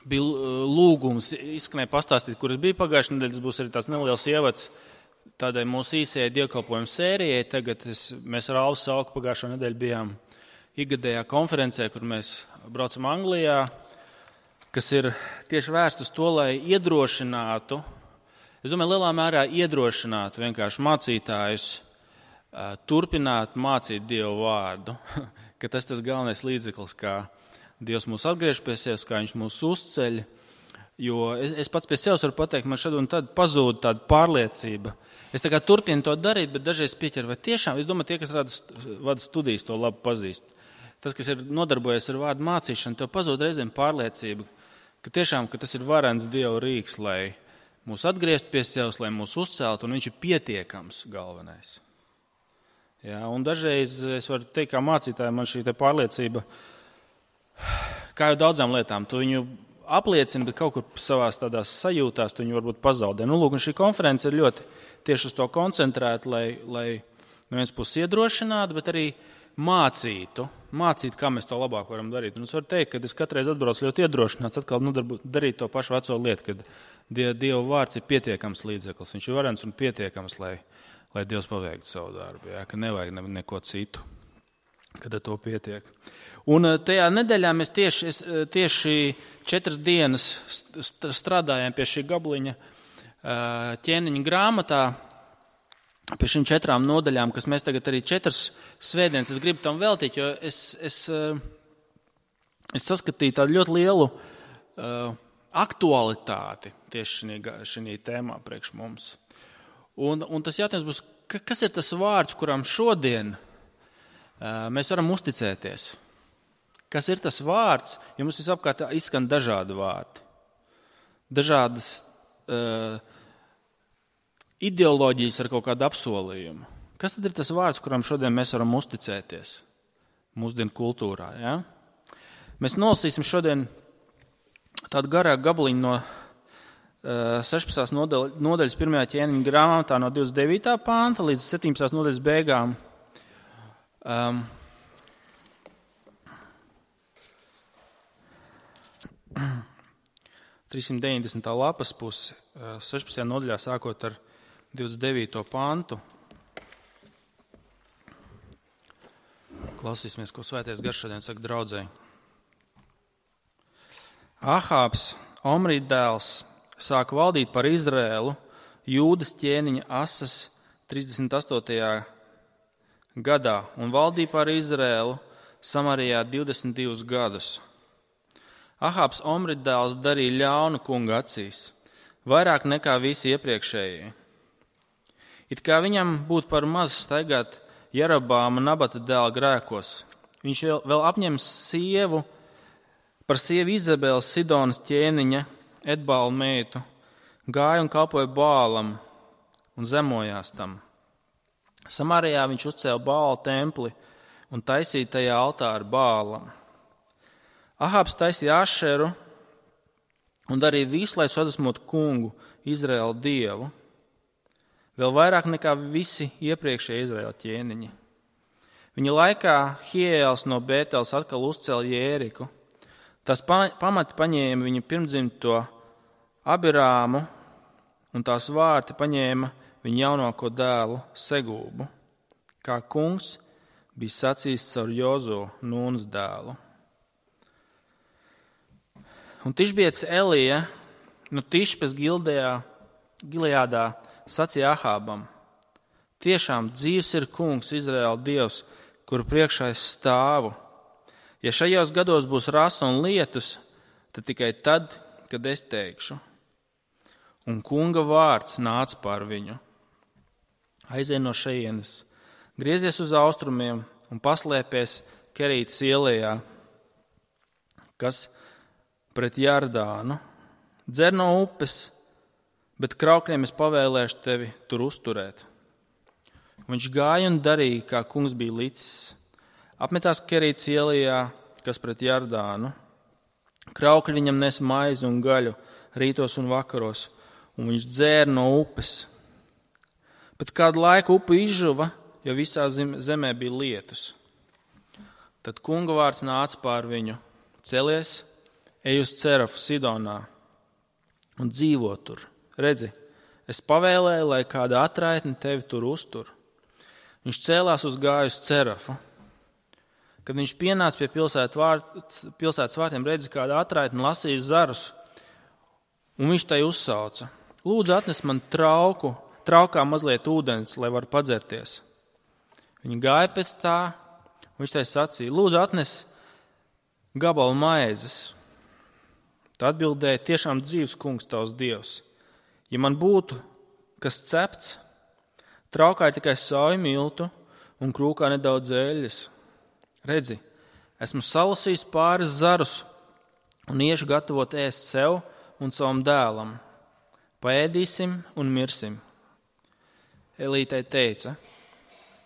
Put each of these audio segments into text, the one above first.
bija lūgums izskanēja pastāstīt, kur es biju pagājušajā nedēļā. Tas būs arī tāds neliels ievads tādai mūsu īsajai dievkalpojumu sērijai. Tagad mēs ar Alvu Sauku pagājušo nedēļu bijām ikgadējā konferencē, kur mēs braucam Anglijā, kas ir tieši vērsts uz to, lai iedrošinātu, es domāju, lielā mērā iedrošinātu vienkārši mācītājus turpināt mācīt Dievu vārdu, ka tas galvenais līdzeklis, kā Dievs mūs atgriež pie sevis, kā viņš mūs uzceļ. Jo es pats pie sevis varu pateikt, man šad un tad pazūd tāda pārliecība. Es tā kā turpinu to darīt, bet dažreiz pieķeru, vai tiešām, es domāju, tie, kas vada studijas, to labi pazīst. Tas, kas ir nodarbojies ar vārdu mācīšanu, tev pazūd reizēm pārliecība, ka tiešām, ka tas ir varens Dieva rīks, lai mūs atgriezt pie sevis, lai mūs uzcelt, un viņš ir pietiekams galvenais. Jā, un dažreiz es varu teikt, kā mācītāji, man šī pārliecība, kā jau daudzām lietām, tu viņu apliecini, bet kaut kur savās tādās sajūtās tu viņu varbūt pazaudē. Lūk, un šī konference ir ļoti tieši uz to koncentrēta, lai no vienas puses iedrošinātu, bet arī mācītu, kā mēs to labāk varam darīt. Un es varu teikt, ka es katreiz atbraucu ļoti iedrošināts atkal darīt to pašu veco lietu, kad Dieva vārds ir pietiekams līdzeklis. Viņš ir varens un pietiekams, lai Dievs paveiktu savu darbu, jā, ka nevajag neko citu, kad ar to pietiek. Un tajā nedēļā mēs tieši 4 dienas strādājām pie šī gabaliņa ķēniņa grāmatā, pie šīm 4 nodaļām, kas mēs tagad arī 4 svētdienas es gribu tam veltīt, jo es saskatīju tādu ļoti lielu aktualitāti tieši šī tēmā priekš mums. Un tas jautājums būs, kas ir tas vārds, kuram šodien mēs varam uzticēties? Kas ir tas vārds, jo mums visapkārt izskan dažādi vārdi, dažādas ideoloģijas ar kaut kādu apsolījumu. Kas tad ir tas vārds, kuram šodien mēs varam uzticēties mūsdienu kultūrā? Ja? Mēs nolasīsim šodien tādu garāku gabaliņu no 16. nodaļas 1. ķēniņa grāmatā no 29. panta līdz 17. nodaļas beigām. 390. lapas pusi, 16. nodaļā sākot ar 29. pantu. Klausīsimies, ko Svētais Gars šodien saka draudzei. Ahābs, Omrī dēls, sāka valdīt par Izraēlu Jūdas ķēniņa Asas 38. gadā un valdīja par Izraēlu Samarijā 22 gadus. Ahābs, Omrī dēls, darīja ļaunu kunga acīs, vairāk nekā visi iepriekšējie. It kā viņam būtu par maz staigāt Jerobāma Nabata dēla grēkos. Viņš vēl apņems par sievu Izabeli Sidonas ķēniņa Etbāla meitu, gāja un kalpoja Bālam un zemojās tam. Samarijā viņš uzcēla Bāla templi un taisīja tajā altāru Bālam. Ahābs taisīja Ašeru un darīja visu, lai sadusmotu kungu, Izraēla dievu, vēl vairāk nekā visi iepriekšējie Izraēla ķēniņi. Viņa laikā Hiēls no Bēteles atkal uzcēla Jēriku. Tās pamati paņēma viņa pirmdzimto Abirāmu, un tās vārti paņēma viņa jaunāko dēlu Segūbu, kā kungs bija sacījis caur Jozo, Nūnas dēlu. Un Tišbiets Elija no Tišpes Gileādā sacīja Ahābam: tiešām dzīvs ir kungs, Izraēla dievs, kuru priekšā es stāvu. Ja šajos gados būs rasa un lietus, tad tikai tad, kad es teikšu. Un kunga vārds nāca pār viņu. Aizej no šejienes, griezies uz austrumiem un paslēpies Kerītas ielējā, kas pret Jardānu. Dzer no upes, bet kraukļiem es pavēlēšu tevi tur uzturēt. Viņš gāja un darīja, kā kungs bija licis. Apmetās Kerītas ielējā, kas pret Jardānu. Kraukļi viņam nes maizi un gaļu rītos un vakaros, un viņš dzēra no upes. Pēc kāda laika upe izžuva, jo visā zemē bija lietus. Tad kunga vārds nāca pār viņu: celies, ej uz Cerafu Sidonā un dzīvo tur. Redzi, es pavēlēju, lai kāda atraitne tevi tur uztur. Viņš cēlās uz gāju uz Cerafu. Kad viņš pienāca pie pilsētas vārtiem, redzi, kāda atraitne lasīja zarus, un viņš tai uzsauca: lūdzu, atnes man traukā mazliet ūdens, lai varu padzerties. Viņi gāja pēc tā, un viņš tai sacīja: lūdzu, atnes gabalu maizes. Tā atbildēja: tiešām dzīvs kungs tavs Dievs. Ja man būtu kas cepts, traukā ir tikai sauju miltu un krūkā nedaudz eļļas. Redzi, esmu salasījis pāris zarus un iešu gatavot ēst sev un savam dēlam. Paēdīsim un mirsim. Elītei teica: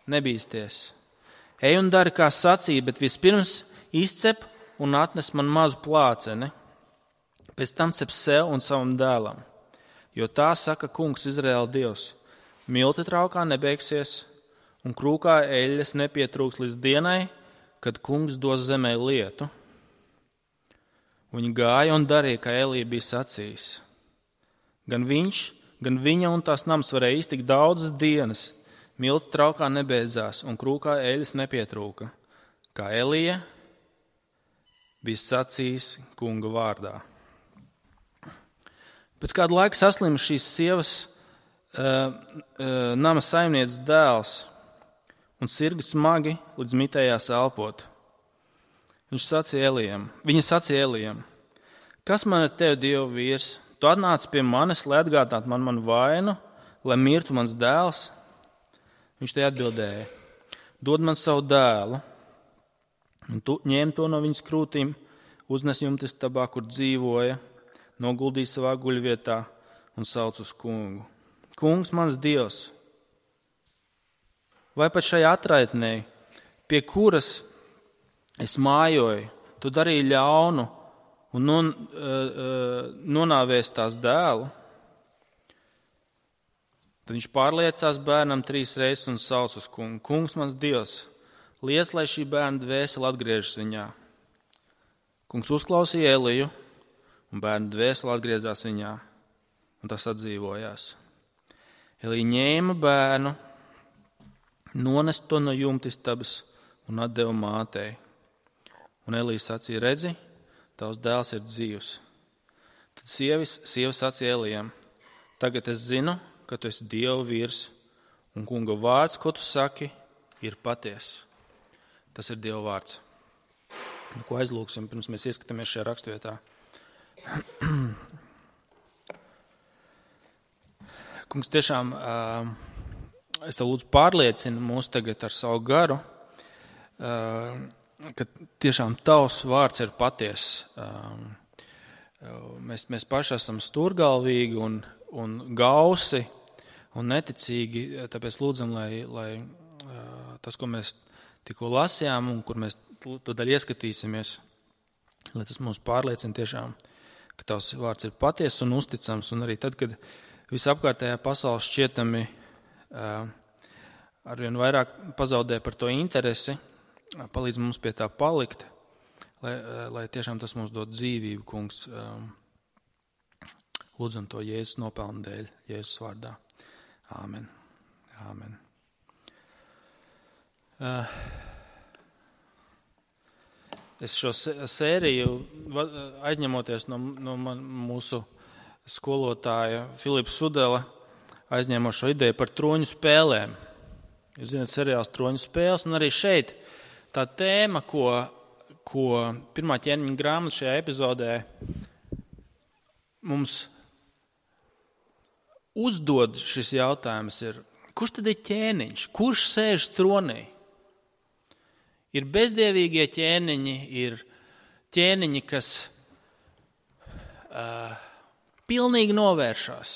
nebīsties. Ej un dari, kā sacīja, bet vispirms izcep un atnes man mazu plāceni. Pēc tam cep sev un savam dēlam. Jo tā saka kungs Izraēla Dievs: milti traukā nebeigsies un krūkā eļļas nepietrūks līdz dienai, kad kungs dos zemē lietu. Viņi gāja un darīja, kā Elija bija sacījis. Gan viņš, gan viņa un tās nams varēja iztikt daudzas dienas. Milti traukā nebeidzās un krūkā eļļas nepietrūka, kā Elija bija sacījis kunga vārdā. Pēc kāda laika saslima šīs sievas nama saimnieces dēls un sirgi smagi līdz mitējās elpot. Viņa sacīja Elijam: kas man ir tev, Dieva vīrs? Tu atnāc pie manis, lai atgādinātu man manu vainu, lai mirtu mans dēls? Viņš te atbildēja: dod man savu dēlu. Un tu ņēmi to no viņas krūtīm, uznes jumta istabā, kur dzīvoja, noguldīja savā guļvietā un sauc uz kungu: kungs, mans Dievs, vai pat šai atraitnei, pie kuras es mājoju, tu darīji ļaunu un nonāvēsi tās dēlu? Tad viņš pārliecās bērnam 3 reizes un sauc uz kungu: kungs, mans Dievs, liec, lai šī bērna dvēsele atgriežas viņā. Kungs uzklausīja Eliju, un bērna dvēsele atgriezās viņā, un tas atdzīvojās. Elija ņēma bērnu, nonesa to no jumta istabas un atdeva mātei. Un Elija sacīja: redzi, tavs dēls ir dzīvs. Tad sieva sacīja Elijam: tagad es zinu, ka tu esi Dieva vīrs, un kunga vārds, ko tu saki, ir patiess. Tas ir Dieva vārds. Ko aizlūksim, pirms mēs ieskatāmies šajā raksturvietā? Kungs, tiešām es tev lūdzu pārliecinu mūs tagad ar savu garu, ka tiešām tavs vārds ir patiess. Mēs paši esam stūrgalvīgi un gausi un neticīgi, tāpēc lūdzam, lai tas, ko mēs tikko lasījām un kur mēs tādēļ ieskatīsimies, lai tas mūs pārliecina tiešām, ka tavs vārds ir patiess un uzticams, un arī tad, kad visapkārtējā pasaule šķietami arvien vairāk pazaudē par to interesi, palīdz mums pie tā palikt, lai tiešām tas mums dod dzīvību, kungs. Lūdzam to Jēzus nopelnu dēļ, Jēzus vārdā. Āmen. Āmen. Es šo sēriju, aizņemoties no mūsu skolotāja Filipa Sudela, aizņēmu šo ideju par troņu spēlēm. Jūs zināt, seriāls Troņu spēles, un arī šeit tā tēma, ko pirmā ķermeņa grāmata šajā epizodē mums uzdod šis jautājums ir, kurš tad ir ķēniņš? Kurš sēž tronī? Ir bezdievīgie ķēniņi, ir ķēniņi, kas pilnīgi novēršās,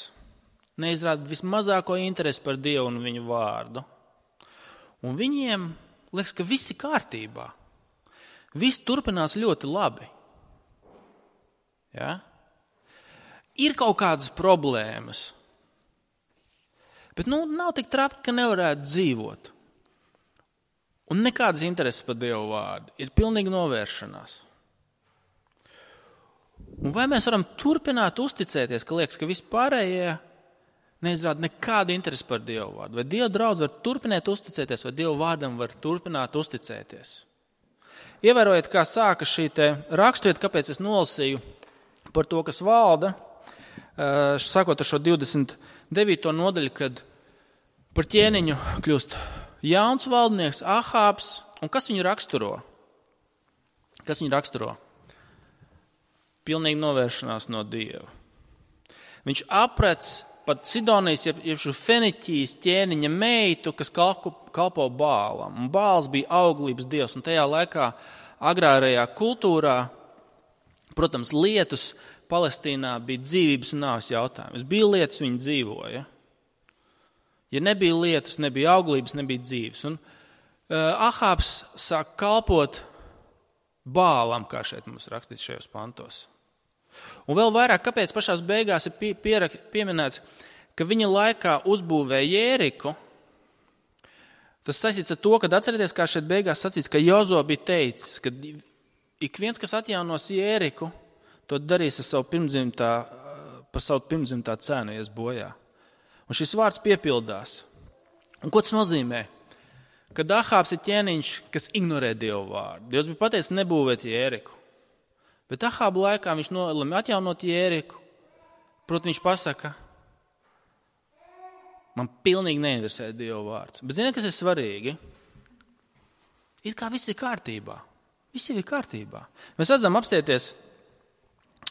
neizrāda vismazāko interesi par Dievu un viņu vārdu. Un viņiem liekas, ka viss ir kārtībā. Viss turpinās ļoti labi. Ja? Ir kaut kādas problēmas, bet nav tik trapi, ka nevarētu dzīvot. Un nekādas intereses par Dievu vārdu. Ir pilnīgi novēršanās. Un vai mēs varam turpināt uzticēties, ka liekas, ka vispārējie neizrāda nekādu interesi par Dievu vārdu? Vai Dieva draudz var turpināt uzticēties, vai Dievu vārdam var turpināt uzticēties? Ievērojiet, kā sāka šī te raksturiet, kāpēc es nolasīju par to, kas valda, sākot ar šo 29. nodaļu, kad par ķēniņu kļūst jauns valdnieks Ahābs, un kas viņu raksturo? Kas viņu raksturo? Pilnīgi novēršanās no Dieva. Viņš aprec pat Sidonijas, jeb šo Feniķijas ķēniņa meitu, kas kalpo Bālam. Un Bāls bija auglības dievs, un tajā laikā agrārajā kultūrā, protams, lietus Palestīnā bija dzīvības un nāves jautājums. Bija lietus, viņi dzīvoja. Ja nebija lietus, nebija auglības, nebija dzīves. Un Ahābs sāk kalpot Bālam, kā šeit mums rakstīts šajos pantos. Un vēl vairāk, kāpēc pašās beigās ir pieminēts, ka viņa laikā uzbūvēja Jēriku. Tas saistīts ar to, kad atcerieties, kā šeit beigās sacīts, ka Jozo bija teicis, ka ik viens, kas atjaunos Jēriku, to darīs par savu pirmdzimtā cenu, ies bojā. Un šis vārds piepildās. Un ko tas nozīmē? Kad Ahābs ir ķēniņš, kas ignorē Dievu vārdu. Dievs bija pateicis nebūvēt Jēriku. Bet Ahāba laikā viņš nolēma atjaunot Jēriku. Protams, viņš pasaka, man pilnīgi neinteresē Dieva vārds. Bet ziniet, kas ir svarīgi? Ir kā viss ir kārtībā. Viss ir kārtībā. Mēs redzam apstieties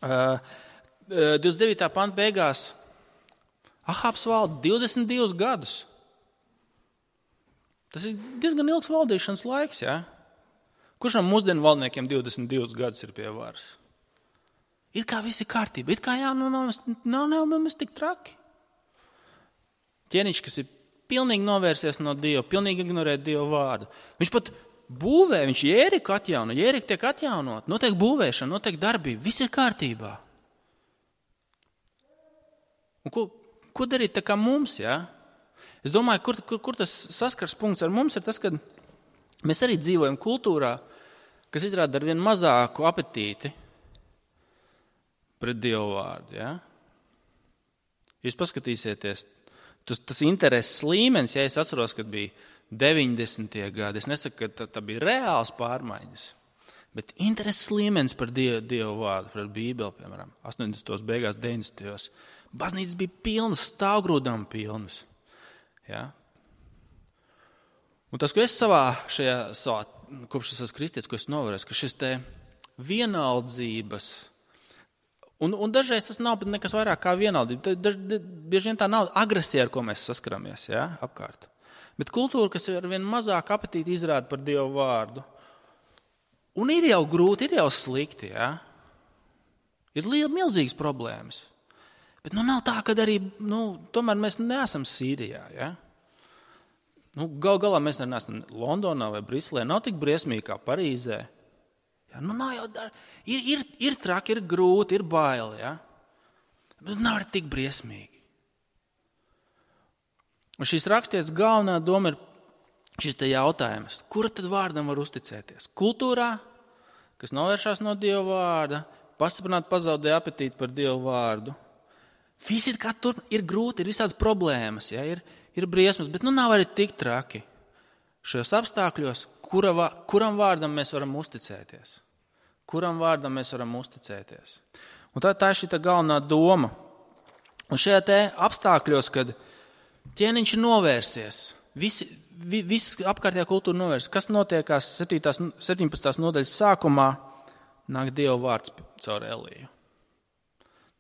29. panta beigās. Ahābs valda 22 gadus. Tas ir diezgan ilgs valdīšanas laiks, jā? Kurš no mūsdienu valdniekiem 22 gadus ir pie varas? Ir kā viss ir kārtība, ir kā nav tik traki. Ķēniņš, kas ir pilnīgi novērsies no Dieva, pilnīgi ignorē Dieva vārdu. Viņš pat būvē, viņš Jēriku atjauno, Jērika tiek atjaunot, notiek būvēšana, notiek darbība, viss ir kārtībā. Un ko darīt tā kā mums, jā? Es domāju, kur tas saskars punkts ar mums ir tas, ka mēs arī dzīvojam kultūrā, kas izrāda ar vien mazāku apetīti pret Dievu vārdu. Ja? Jūs paskatīsieties, tas intereses līmenis, ja es atceros, kad bija 90. gadi, es nesaku, ka tā bija reāls pārmaiņas, bet intereses līmenis par Dievu vārdu, par Bībeli, piemēram, 80. beigās, 90. Baznīcas bija pilnas, stāvgrūdām pilnas. Ja? Un tas, ko es savā kopš es esmu kristietis, ko es novērēju, ka šis te vienaldzības, un dažreiz tas nav nekas vairāk kā vienaldība, bieži vien tā nav agresija, ar ko mēs saskaramies, ja, apkārt. Bet kultūra, kas ar vien mazāk apetīti izrāda par Dievu vārdu, un ir jau grūti, ir jau slikti, ja. Ir milzīgas problēmas. Bet nav tā, ka arī, tomēr mēs neesam Sīrijā, ja. Galā mēs neesam Londonā vai Briselē, nav tik briesmīgi kā Parīzē. Ja, nav jau, ir traki, ir grūti, ir baili, ja? Bet nav arī tik briesmīgi. Un šīs rakstietas galvenā doma ir šis te jautājums, kura tad vārdam var uzticēties? Kultūrā, kas novēršās no Dieva vārda, pastiprināt pazaudē apetīti par Dievu vārdu. Visi kā tur ir grūti, ir visādas problēmas, ja? Ir briesmas, bet nav arī tik traki. Šajos apstākļos, kuram vārdam mēs varam uzticēties? Kuram vārdam mēs varam uzticēties? Un tā ir šī galvenā doma. Un šajā te apstākļos, kad ķēniņš ir novērsies, viss apkārtējā kultūra novērsies, kas notiekās 17. nodaļas sākumā, nāk Dieva vārds caur Eliju.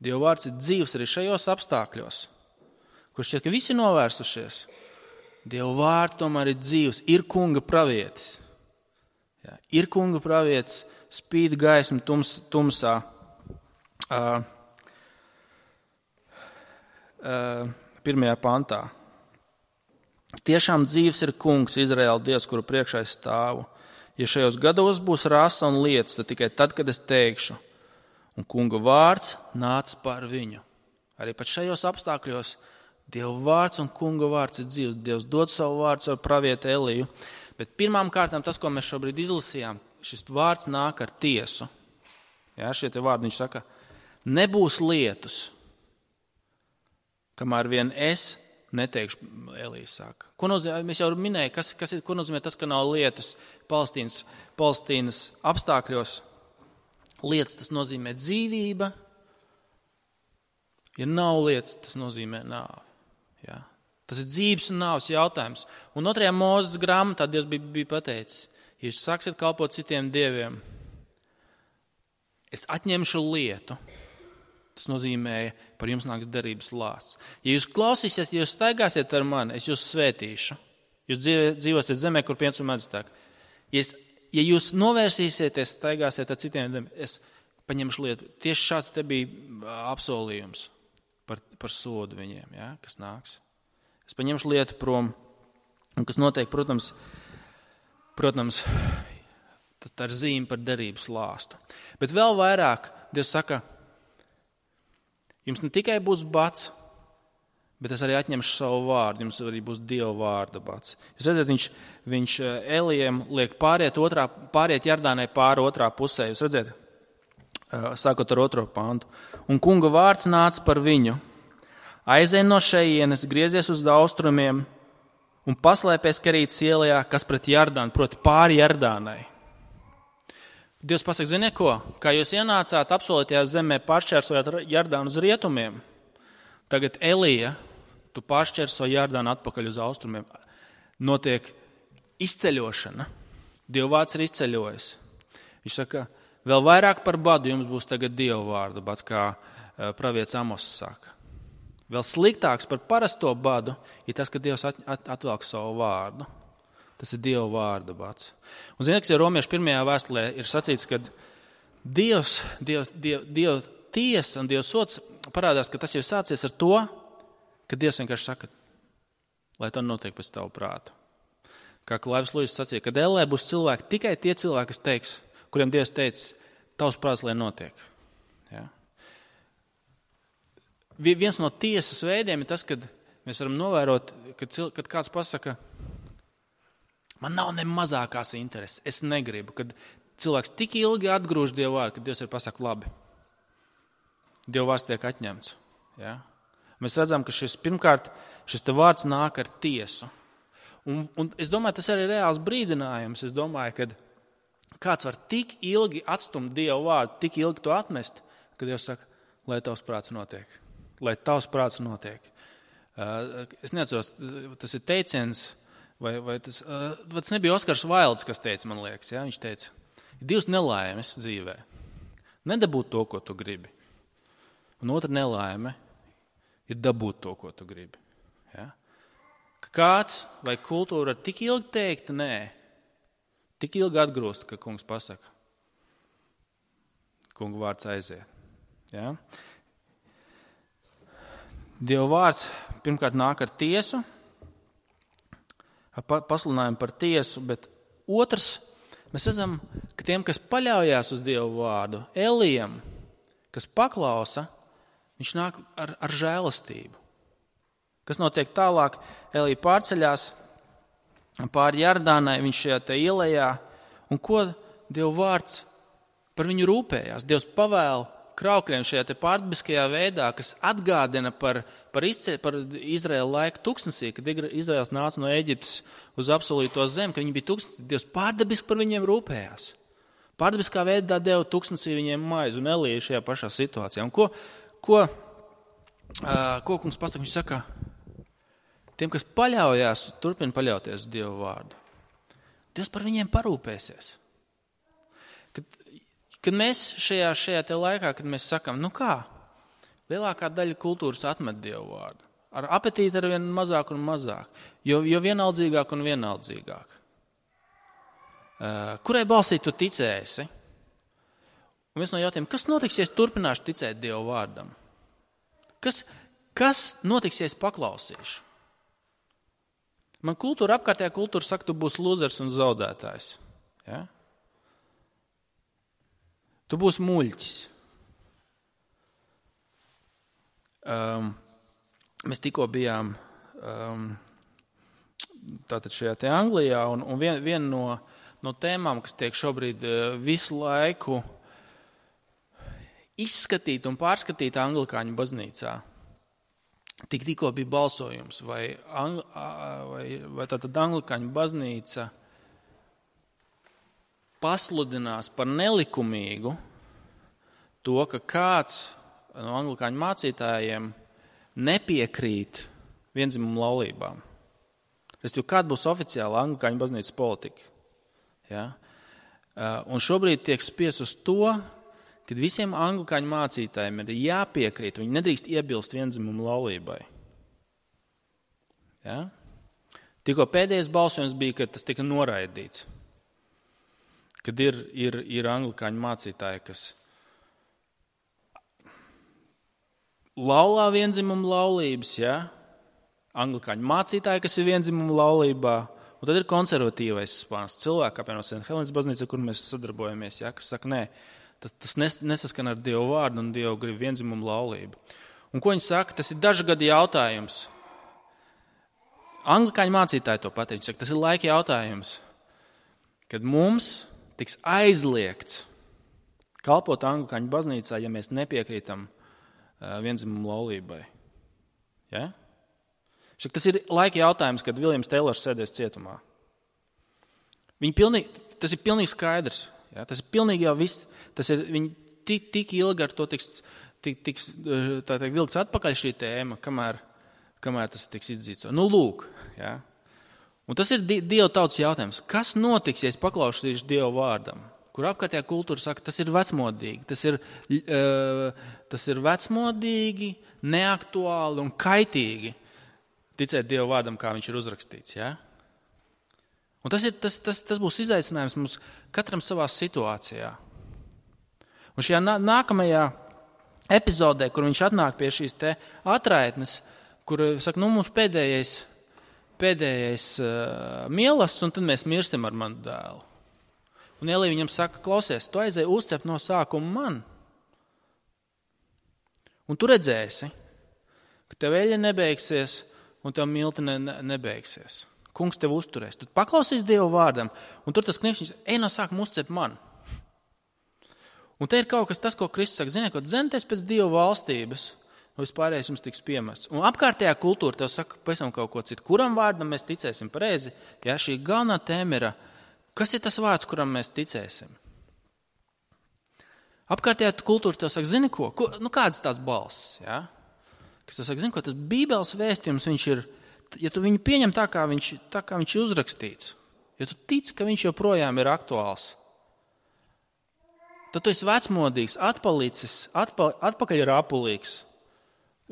Dieva vārds ir dzīvs arī šajos apstākļos. Kur šķiet, ka visi novērsušies. Dieva vārds tomēr ir dzīvs, ir kunga pravietis. Ja, ir kunga pravietis, spīd gaisma tumsā. Pirmajā pantā. Tiešām dzīvs ir kungs, Izraēla Dievs, kuru priekšā es stāvu. Ja šajos gados būs rasa un lietus, tad tikai tad, kad es teikšu, un kunga vārds nāca par viņu. Arī pat šajos apstākļos Dieva vārds un kunga vārds ir dzīvs. Dievs dod savu vārdu, savu pravietu Eliju. Bet pirmām kārtām tas, ko mēs šobrīd izlasījām, šis vārds nāk ar tiesu. Jā, šie te vārdi, viņš saka, Nebūs lietus, kamēr vien es neteikšu, Elija saka. Ko nozīmē, mēs jau minēju, ko nozīmē tas, ka nav lietus Palestīnas apstākļos. Lietas, tas nozīmē dzīvība. Ja nav lietas, tas nozīmē nāvi. Ja? Tas ir dzīves un nāves jautājums. Un 2. Mūzes grāmatā Dievs bija pateicis, ja jūs sāksiet kalpot citiem dieviem, es atņemšu lietu. Tas nozīmē, par jums nāks derības lāsts. Ja jūs klausīsiet, ja jūs staigāsiet ar mani, es jūs svētīšu. Jūs dzīvosiet zemē, kur piens un medus tek. Ja jūs novērsīsieties, staigāsiet ar citiem, es paņemšu lietu. Tieši šāds te bija apsolījums par sodu viņiem, ja, kas nāks. Es paņemšu lietu prom, un kas notiek, protams, tā ir zīme par derības lāstu. Bet vēl vairāk Dievs saka, jums ne tikai būs bats, bet es arī atņemšu savu vārdu. Jums arī būs Dieva vārda bats. Jūs redzat, viņš Elijam liek pāriet Jardānai pāri otrā pusē. Jūs redzat, sākot ar 2. pantu. Un kunga vārds nāca par viņu. Aizej no šejienes, griezies uz austrumiem un paslēpies Kerītas ielā, kas pret Jardānu, proti pāri Jardānai. Dievs pasaka, ziniet ko, kā jūs ienācāt apsolītajā zemē, pāršķērsojāt Jardānu uz rietumiem, tagad Elija, tu pāršķērso Jardānu atpakaļ uz austrumiem. Notiek izceļošana. Dieva vārds ir izceļojis. Viņš saka, vēl vairāk par badu jums būs tagad Dieva vārda bats, kā pravietis Amos saka. Vēl sliktāks par parasto badu ir tas, ka Dievs atvelk savu vārdu. Tas ir Dieva vārda bats. Un ziniet, kas ir Romiešu 1. vēstulē, ir sacīts, ka Dieva tiesa un Dieva sods parādās, ka tas jau sācies ar to, ka Dievs vienkārši saka, lai to notiek pēc tavu prātu. Kā Klaivs Luis sacīja, ka ellē būs cilvēki, tikai tie cilvēki, kas teiks, kuriem Dievs teica, tavs prāts, lai notiek. Ja? Viens no tiesas veidiem ir tas, kad mēs varam novērot, kad kāds pasaka, man nav ne mazākās intereses, es negribu, kad cilvēks tik ilgi atgrūž Dievu vārdu, kad Dievs ir pasaka labi. Dievu vārds tiek atņemts. Ja? Mēs redzam, ka pirmkārt šis te vārds nāk ar tiesu. Un es domāju, tas arī ir reāls brīdinājums. Es domāju, ka kāds var tik ilgi atstumt Dievu vārdu, tik ilgi to atmest, ka Dievs saka, lai tavs prāts notiek. Lai tavs prāts notiek. Es neatceros, tas ir teiciens, vai tas nebija Oskars Vailds, kas teica, man liekas. Ja? Viņš teica, ir 2 nelaimes dzīvē. Nedabūt to, ko tu gribi. Un otra nelaime ir dabūt to, ko tu gribi. Ja? Kāds vai kultūra var tik ilgi teikt nē, tik ilgi atgrūst, ka kungs pasaka, kunga vārds aiziet. Ja? Dieva vārds pirmkārt nāk ar tiesu, pasludinājumu par tiesu, bet otrs, mēs redzam, ka tiem, kas paļaujās uz Dievu vārdu, Elijam, kas paklausa, viņš nāk ar žēlastību. Kas notiek tālāk? Elija pārceļās pāri Jardānai, viņš šajā te ielējā, un ko Dieva vārds par viņu rūpējās? Dievs pavēl kraukļiem šajā te pārdabiskajā veidā, kas atgādina par Izraēla laiku tuksnesī, kad Izraēls nāca no Ēģiptes uz apsolīto zemi, ka viņi bija tuksnesī. Dievs pārdabiski par viņiem rūpējās. Pārdabiskā veidā deva tuksnesī viņiem maizi un Elija šajā pašā situācijā. Un ko kungs pasaka? Viņš saka, tiem, kas paļaujās, turpina paļauties uz Dievu vārdu. Dievs par viņiem parūpēsies. Kad mēs šajā te laikā, kad mēs sakam, nu kā, lielākā daļa kultūras atmet Dievu vārdu. Ar apetīti ar vien mazāk un mazāk, jo vienaldzīgāk un vienaldzīgāk. Kurai balsī tu ticēsi? Un viens no jautājumiem, kas notiks, ja es turpināšu ticēt Dievu vārdam? Kas notiks, ja es paklausīšu? Man apkārtējā kultūra saka, tu būsi lūzers un zaudētājs. Ja? Tu būsi muļķis. Mēs tikko bijām tātad šajā te Anglijā, un viena no tēmām, kas tiek šobrīd visu laiku izskatīta un pārskatīta anglikāņu baznīcā. Tikko bija balsojums, vai tātad anglikāņu baznīca pasludinās par nelikumīgu to, ka kāds no anglikāņu mācītājiem nepiekrīt viendzimumu laulībām. Kāda būs oficiāla anglikāņu baznīcas politika? Ja? Un šobrīd tiek spiest uz to, kad visiem anglikāņu mācītājiem ir jāpiekrīt, viņi nedrīkst iebilst viendzimumu laulībai. Ja? Tikko pēdējais balsojums bija, kad tas tika noraidīts. Kad ir anglikāņu mācītāji, kas laulā viendzimumu laulības, ja? Anglikāņu mācītāji, kas ir viendzimumu laulībā, un tad ir konservatīvais spāns cilvēki, apvienot St. Helenas baznīca, kur mēs sadarbojamies, ja? Kas saka, nē, tas nesaskan ar Dievu vārdu un Dievu grib viendzimumu laulību. Un ko viņi saka? Tas ir dažu gadu jautājums. Anglikāņu mācītāji to pateic. Saka, tas ir laika jautājums, kad mums tiks aizliegts kalpot anglikāņu baznīcā, ja mēs nepiekrītam viendzimumu laulībai. Ja? Saka, tas ir laika jautājums, kad Viljams Teilors sēdēs cietumā. Tas ir pilnīgi skaidrs. Ja? Tas ir pilnīgi jau viss. Viņi tik ilgi ar to tiks vilkts atpakaļ šī tēma, kamēr tas tiks izdzīts. Nu, lūk. Ja? Un tas ir Dieva tautas jautājums. Kas notiks, ja es paklausīšu Dieva vārdam? Kur apkārtējā kultūra saka, tas ir vecmodīgi. Tas ir vecmodīgi, neaktuāli un kaitīgi ticēt Dieva vārdam, kā viņš ir uzrakstīts. Ja? Un tas būs izaicinājums mums katram savā situācijā. Un šajā nākamajā epizodē, kur viņš atnāk pie šīs te atraitnes, kur saka, mums pēdējais mielasts, un tad mēs mirstam ar manu dēlu. Un Elija viņam saka, klausies, tu aizēji uzcept no sākuma man. Un tu redzēsi, ka tev eļļa nebeigsies, un tev milti nebeigsies. Kungs tev uzturēs. Tu paklausīs Dievu vārdam, un tur tas kniekšņš, ej no sākuma uzcept man. Un te ir kaut kas tas, ko Kristus saka, ziniet, ko dzenieties pēc Dieva valstības, un vispārējais jums tiks piemests. Un apkārtējā kultūra tev saka pavisam kaut ko citu. Kuram vārdam mēs ticēsim pareizi? Ja, šī galvenā tēma ir, kas ir tas vārds, kuram mēs ticēsim? Apkārtējā kultūra tev saka, zini ko? Kādas tās balss? Ja? Kas tev saka, zini ko? Tas Bībeles vēstījums, viņš ir, ja tu viņu pieņem tā, kā viņš ir uzrakstīts, ja tu tici, ka viņš joprojām ir aktuāls, tad tu esi vecmodīgs, atpalicis, atpakaļ rāpulīgs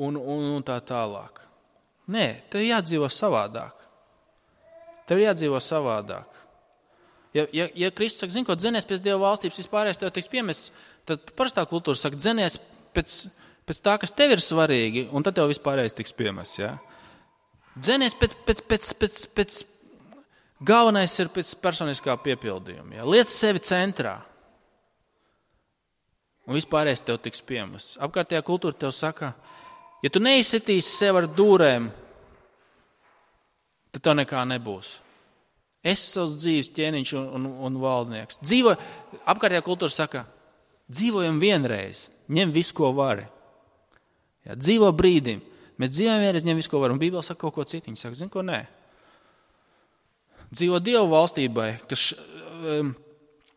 un tā tālāk. Nē, tev jādzīvo savādāk. Ja Kristus saka, zini, ko dzenies pēc Dieva valstības vispārējais tev tiks piemests, tad parastā kultūra saka, dzenies pēc tā, kas tev ir svarīgi, un tad tev vispārējais tiks piemests. Ja? Dzenies pēc galvenais ir pēc personiskā piepildījuma. Ja? Liec sevi centrā. Un vispārējais tev tiks piemests. Apkārtējā kultūra tev saka, ja tu neizsitīsi sev ar dūrēm, tad tev nekā nebūs. Es savs dzīves ķēniņš un valdnieks. Apkārtējā kultūra saka, dzīvojam vienreiz, ņem visu, ko vari. Ja, dzīvo brīdim. Mēs dzīvojam vienreiz, ņem visu, ko vari. Un Bībele saka kaut ko citu. Viņa saka, zini, ko nē. Dzīvo Dievu valstībai, kas...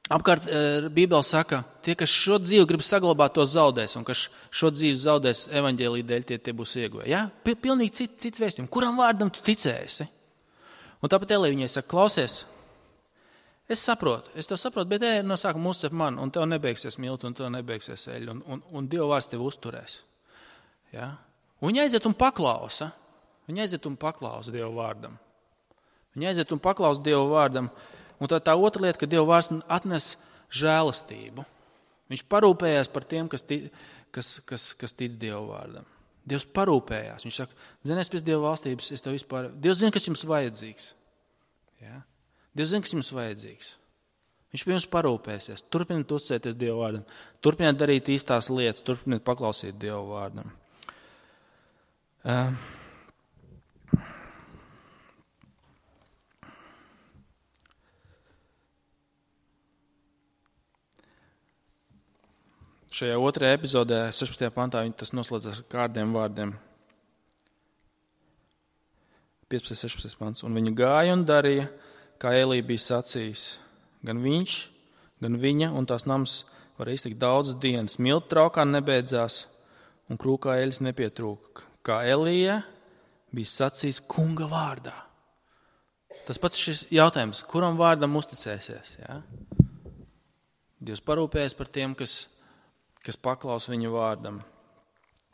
Apkārt Bībele saka, tie, kas šo dzīvi grib saglabāt, to zaudēs, un kas šo dzīvi zaudēs evaņģēlija dēļ, tie būs ieguvēji. Ja? Pilnīgi cits vēstījums. Kuram vārdam tu ticēsi? Un tāpat Elija viņai saka, klausies, es tev saprotu, bet no sākuma uzcep man, un tev nebeigsies milti, un tev nebeigsies eļļa, un Dieva vārds tev uzturēs. Ja? Un viņa aiziet un paklausa. Viņa aiziet un paklausa Dieva vārdam. Viņa aiziet un paklausa Dieva vārdam. Un tā otra lieta, ka Dieva vārds atnes žēlastību. Viņš parūpējās par tiem, kas tic Dieva vārdam. Dievs parūpējās. Viņš saka, zinies pēc Dieva valstības, es tev vispār... Dievs zina, kas jums vajadzīgs. Ja? Dievs zina, kas jums vajadzīgs. Viņš pie jums parūpēsies. Turpiniet uzticēties Dieva vārdam. Turpiniet darīt īstās lietas. Turpiniet paklausīt Dieva vārdam. šajā otrajā epizodē, 16. pantā, tas noslēdzas ar kādiem vārdiem. 15. 16. pants. Un viņa gāja un darīja, kā Elija bija sacījis. Gan viņš, gan viņa un tās nams varēja iztikt daudzas dienas. Miltu traukā nebeidzās un krūkā eļas nepietrūka. Kā Elija bija sacījis kunga vārdā. Tas pats šis jautājums, kuram vārdam uzticēsies? Ja? Dievs parūpējas par tiem, kas paklaus viņa vārdam.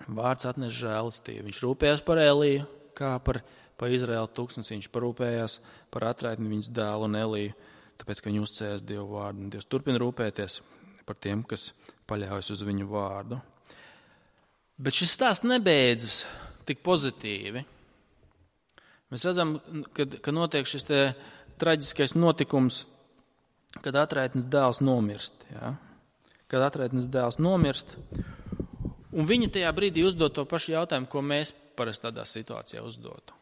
Vārds atnes žēlastību. Viņš rūpējas par Eliju, kā par Izraēlu tūkstnesi. Viņš parūpējās par atraitni viņas dēlu un Eliju, tāpēc, ka viņi uzticējās Dievu vārdu. Dievs turpina rūpēties par tiem, kas paļaujas uz viņu vārdu. Bet šis stāsts nebeidzas tik pozitīvi. Mēs redzam, ka notiek šis traģiskais notikums, kad atraitnes dēls nomirst. Ja? Kad atraitnes dēls nomirst, un viņa tajā brīdī uzdod to pašu jautājumu, ko mēs parasti tādā situācijā uzdotu.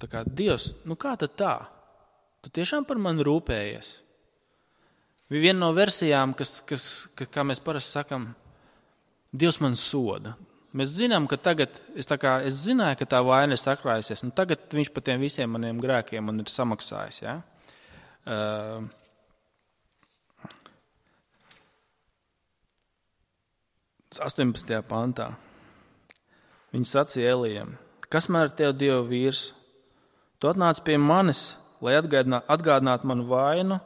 Tā kā Dievs, kā tad tā? Tu tiešām par mani rūpējies? Viena no versijām, kā mēs parasti sakam, Dievs man soda. Mēs zinām, ka tagad, es zināju, ka tā vaina ir sakrājusies, un tagad viņš par tiem visiem maniem grēkiem man ir samaksājis. Ja? 18. pantā. Viņa sacīja Elijam, kas man ar tevi, Dieva vīrs? Tu atnāc pie manis, lai atgādinātu manu vainu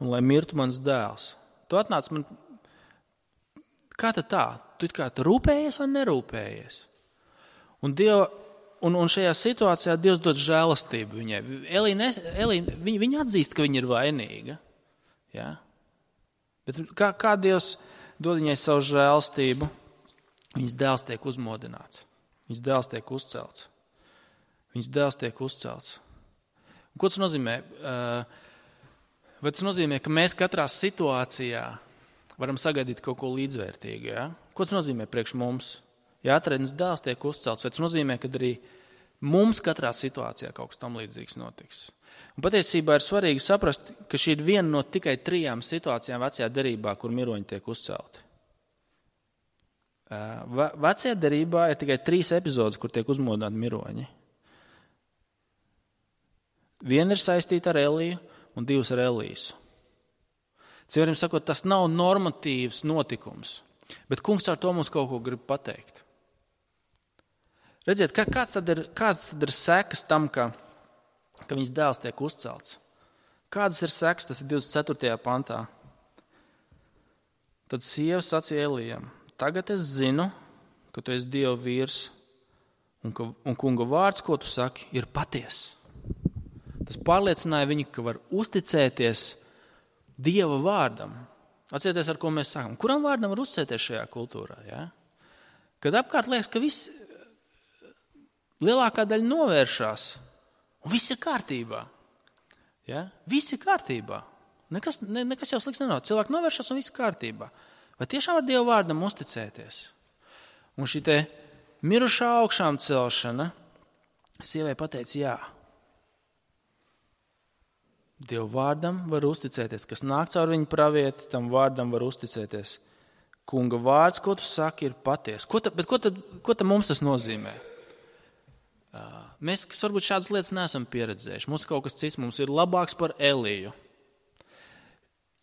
un lai mirtu mans dēls. Tu atnāc man... Kā tad tā? Tu rūpējies vai nerūpējies? Un šajā situācijā Dievs dod žēlastību viņai. Viņa atzīst, ka viņa ir vainīga. Ja? Bet kā Dievs dod viņai savu žēlastību? Viņas dēls tiek uzmodināts. Viņas dēls tiek uzcelts. Viņas dēls tiek uzcelts. Un ko tas nozīmē? Vai tas nozīmē, ka mēs katrā situācijā varam sagaidīt kaut ko līdzvērtīgu? Ja? Ko tas nozīmē priekš mums? Ja atraitnes dēls tiek uzcelts, vai tas nozīmē, ka arī mums katrā situācijā kaut kas tam līdzīgs notiks? Un patiesībā ir svarīgi saprast, ka šī ir viena no tikai 3 situācijām vecajā derībā, kur miroņi tiek uzcelti. Vecajā derībā ir tikai 3 epizodes, kur tiek uzmodināti miroņi. Viena ir saistīta ar Eliju un 2 ar Elīsu. Citiem sakot, tas nav normatīvs notikums, bet kungs ar to mums kaut ko grib pateikt. Redziet, kāds tad ir sekas tam, ka viņas dēls tiek uzcelts? Kādas ir sekas? Tas ir 24. pantā. Tad sieva sacīja Elijam, tagad es zinu, ka tu esi Dieva vīrs un kunga vārds, ko tu saki, ir patiess. Tas pārliecināja viņu, ka var uzticēties Dieva vārdam. Atcerieties, ar ko mēs sakām. Kuram vārdam var uzticēties šajā kultūrā? Ja? Kad apkārt liekas, ka lielākā daļa novēršās, un viss ir kārtībā. Ja? Viss ir kārtībā. Nekas jau slikts nenāk. Cilvēki novēršās un viss ir kārtībā. Vai tiešām var Dieva vārdam uzticēties? Un šī te mirušā augšām celšana sievai pateica jā. Dieva vārdam var uzticēties, kas nāk caur viņu pravieti, tam vārdam var uzticēties. Kunga vārds, ko tu saki, ir patiesa. Ko tad mums tas nozīmē? Mēs, kas varbūt šādas lietas neesam pieredzējuši, mums kaut kas cits, mums ir labāks par Eliju.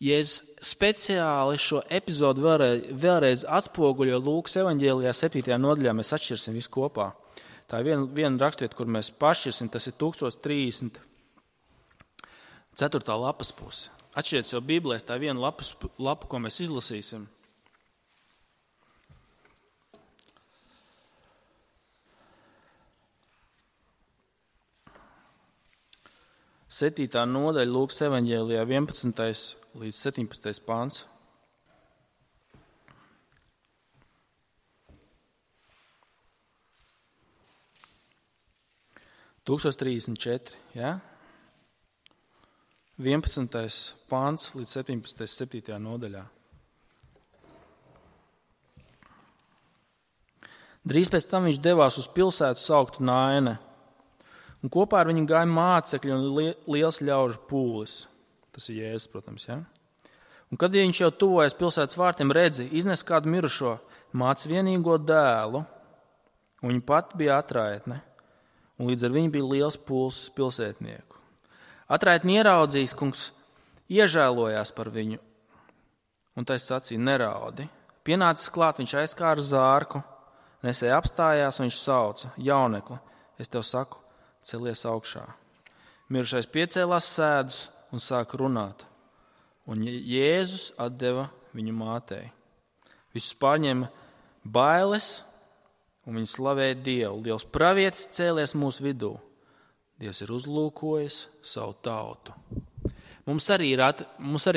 Ja es speciāli šo epizodu vēlreiz atspoguļo Lūkas evaņģēlijā 7. nodaļā, mēs atšķirsim visu kopā. Tā ir viena rakstvieta, kur mēs pašķirsim, tas ir 1030. 4. lapas puse. Atšķiriet sev Bībelēs, tā ir viena lapa, ko mēs izlasīsim. Septītā nodaļa Lūkas evaņģēlijā 11. līdz 17. pāns. Ja? 11. pāns līdz 17. 7. nodaļā. Drīz pēc tam viņš devās uz pilsētu sauktu Naine, un kopā ar viņu gāja mācekļi un liels ļaužu pūlis. Tas ir Jēzus, protams, ja? Un kad viņš jau tuvojas pilsētas vārtiem, redzi, iznes kādu mirušo, māca vienīgo dēlu, un viņa pati bija atraitne, un līdz ar viņu bija liels pulks pilsētnieku. Atraitni ieraudzījis, kungs iežēlojās par viņu, un tai sacīja, neraudi. Pienācis klāt, viņš aizkāra zārku, nesēja apstājās, un viņš sauca, jaunekli, es tev saku, celies augšā. Mirušais piecēlās sēdus un sāka runāt, un Jēzus atdeva viņu mātei. Visus pārņēma bailes, un viņi slavēja Dievu. Liels pravietis cēlies mūsu vidū. Dievs ir uzlūkojis savu tautu. Mums arī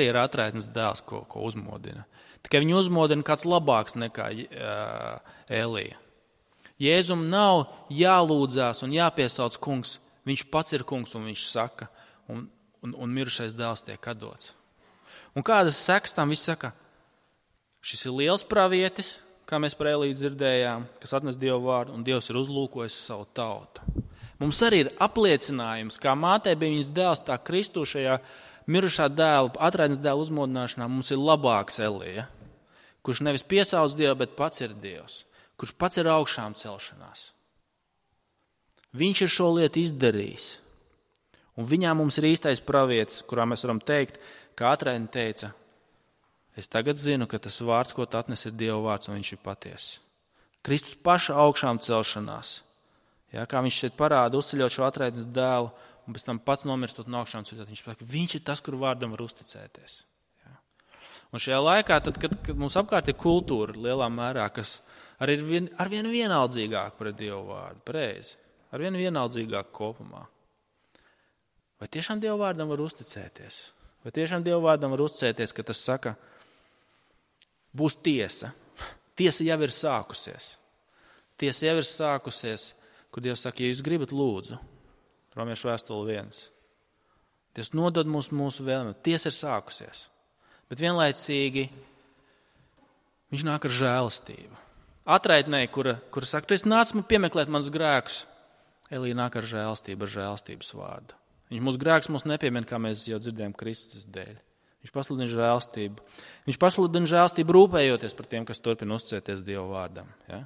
ir atraitnes dēls, ko uzmodina. Tikai viņu uzmodina kāds labāks nekā Elija. Jēzum nav jālūdzās un jāpiesauc kungs. Viņš pats ir kungs un viņš saka, un mirušais dēls tiek atdots. Un kādas sekas tam viss saka? Šis ir liels pravietis, kā mēs par Eliju dzirdējām, kas atnes Dievu vārdu, un Dievs ir uzlūkojis savu tautu. Mums arī ir apliecinājums, kā mātei bija viņas dēls, tā Kristu šajā mirušā dēla, atraitnes dēla uzmodināšanā mums ir labāks Elija, kurš nevis piesauc Dievu, bet pats ir Dievs, kurš pats ir augšām celšanās. Viņš ir šo lietu izdarījis, un viņā mums ir īstais pravietis, kurā mēs varam teikt, kā atraitne teica, es tagad zinu, ka tas vārds, ko tu atnes, ir Dieva vārds, un viņš ir patiess. Kristus paša augšām celšanās. Ja, kā viņš šeit parāda, uzceļot šo atraitnes dēlu, un pēc tam pats nomirstot no augšām ceļot, viņš saka, viņš ir tas, kur vārdam var uzticēties. Ja. Un šajā laikā, tad, kad mums apkārt ir kultūra lielā mērā, kas arī ir arvien vienaldzīgāk pret Dievu vārdu, pareizi, arvien vienaldzīgāk kopumā. Vai tiešām Dievu vārdam var uzticēties? Vai tiešām Dievu vārdam var uzticēties, ka tas saka, būs tiesa. Tiesa jau ir sākusies. Tiesa jau ir sākusies, kur Dievs saka, ja jūs gribat lūdzu, Romiešu vēstule 1. Dievs nodod mūsu vēlmi. Tiesa ir sākusies. Bet vienlaicīgi viņš nāk ar žēlastību. Atraitnei, kura saka, tu esi nācis piemeklēt manus grēkus, Elija nāk ar žēlastību, ar žēlastības vārdu. Viņš mūsu grēkus mums nepiemina, kā mēs jau dzirdējām Kristus dēļ. Viņš pasludina žēlastību. Viņš pasludina žēlastību rūpējoties par tiem, kas turpina uzticēties Dieva vārdam. Ja?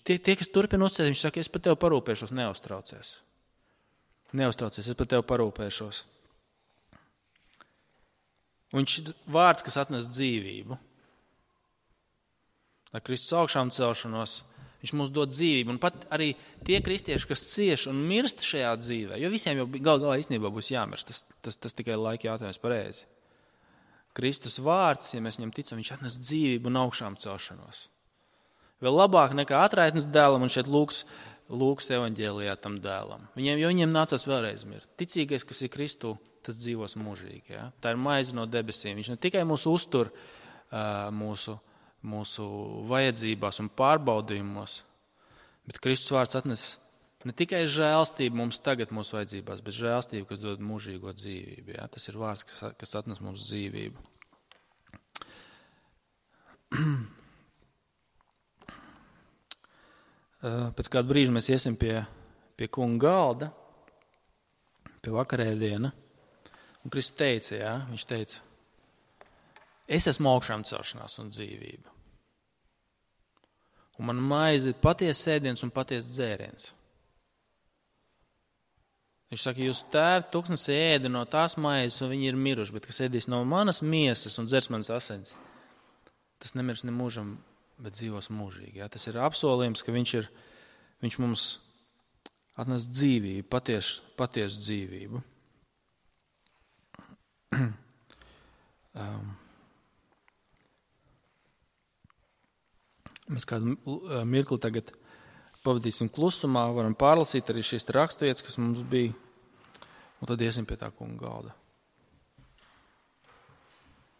Tie, kas turpina uzticēties, viņš saka, es par tevi parūpēšos, neuztraucies. Neuztraucies, es par tevi parūpēšos. Un viņš ir vārds, kas atnes dzīvību. Ar Kristus augšām celšanos, viņš mums dod dzīvību. Un pat arī tie kristieši, kas cieš un mirst šajā dzīvē, jo visiem jau galā īstenībā būs jāmirst, tas tikai laika jautājums pareizi. Kristus vārds, ja mēs viņam ticam, viņš atnes dzīvību un augšām celšanos. Vēl labāk nekā atraitnes dēlam, un šeit Lūkas evaņģēlijā tam dēlam. Viņiem nācās vēlreiz mirt. Ticīgais, kas ir Kristu, tas dzīvos mūžīgi. Ja? Tā ir maize no debesīm. Viņš ne tikai mūs uztur mūsu vajadzībās un pārbaudījumos, bet Kristus vārds atnes ne tikai žēlstību mums tagad mūsu vajadzībās, bet žēlstību, kas dod mūžīgo dzīvību. Ja? Tas ir vārds, kas atnes mums dzīvību. Pēc kāda brīža mēs iesim pie kunga galda, pie vakarēdiena, un Kristus teica, ja? Viņš teica, es esmu augšām celšanās un dzīvība. Un man maize ir patiesa ēdiens un patiesa dzēriens. Viņš saka, jūs tēvi tūkstnes ēda no tās maizes, un viņi ir miruši, bet kas ēdīs no manas miesas un dzers manas asins, tas nemirs ne mūžam, bet dzīvos mūžīgi. Ja? Tas ir apsolījums, ka viņš mums atnes dzīvību, patiesu dzīvību. Mēs kādu mirkli tagad pavadīsim klusumā, varam pārlasīt arī šīs raksturvietas, kas mums bija, un tad iesim pie tā kunga galda.